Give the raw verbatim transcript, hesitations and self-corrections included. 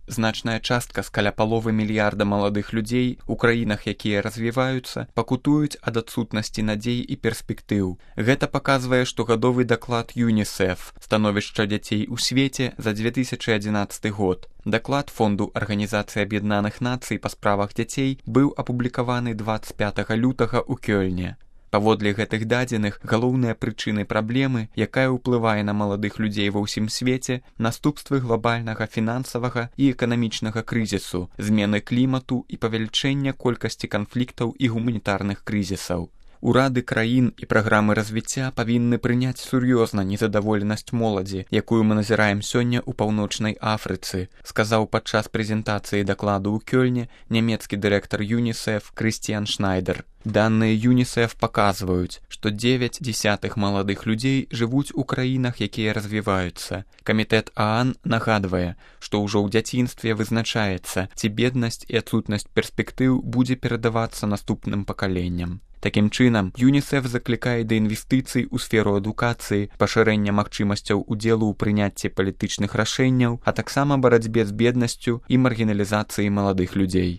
Значная частка з каля паловы мільярда маладых людзей у краінах, якія развіваюцца, пакутуюць ад адсутнасці надзей і перспектыў. Гэта паказвае штогадовы даклад ЮНІСЕФ «Становішча дзяцей у свеце» за две тысячы адзінаццаты год. Даклад Фонду Арганізацыі Аб'яднаных Нацый па справах дзяцей быў апублікаваны дваццаць пятага лютага ў Кёльне. Паводле гэтых дадзеных, галоўныя прычыны праблемы, якая ўплывае на маладых людзей ва ўсім свеце, наступствы глобальнага фінансавага і эканамічнага крызісу, змены клімату і павелічэння колькасці канфліктаў і гуманітарных крызісаў. Урады краін і праграмы развіцця павінны прыняць сур'ёзна незадаволенасць моладзі, якую мы назіраем сёння ў паўночнай Афрыцы, сказаў падчас прэзентацыі дакладу ў Кёльне нямецкі дырэктар ЮНІСЕФ Крыстіян Шнайдер. Даныя ЮНІСЕФ паказваюць, што дзевяць дзесятых маладых людзей жывуць у краінах, якія развіваюцца. Камітэт ААН нагадвае, што ўжо ў дзяцінстве вызначаецца, ці беднасць і адсутнасць перспектыў будзе перадавацца наступным пакаленням. Такім чынам, ЮНІСЕФ заклікае да інвестыцый у сферу адукацыі, пашырэння магчымасцяў удзелу ў прыняцці палітычных рашэнняў, а таксама барацьбе з беднасцю і маргіналізацыяй маладых людзей.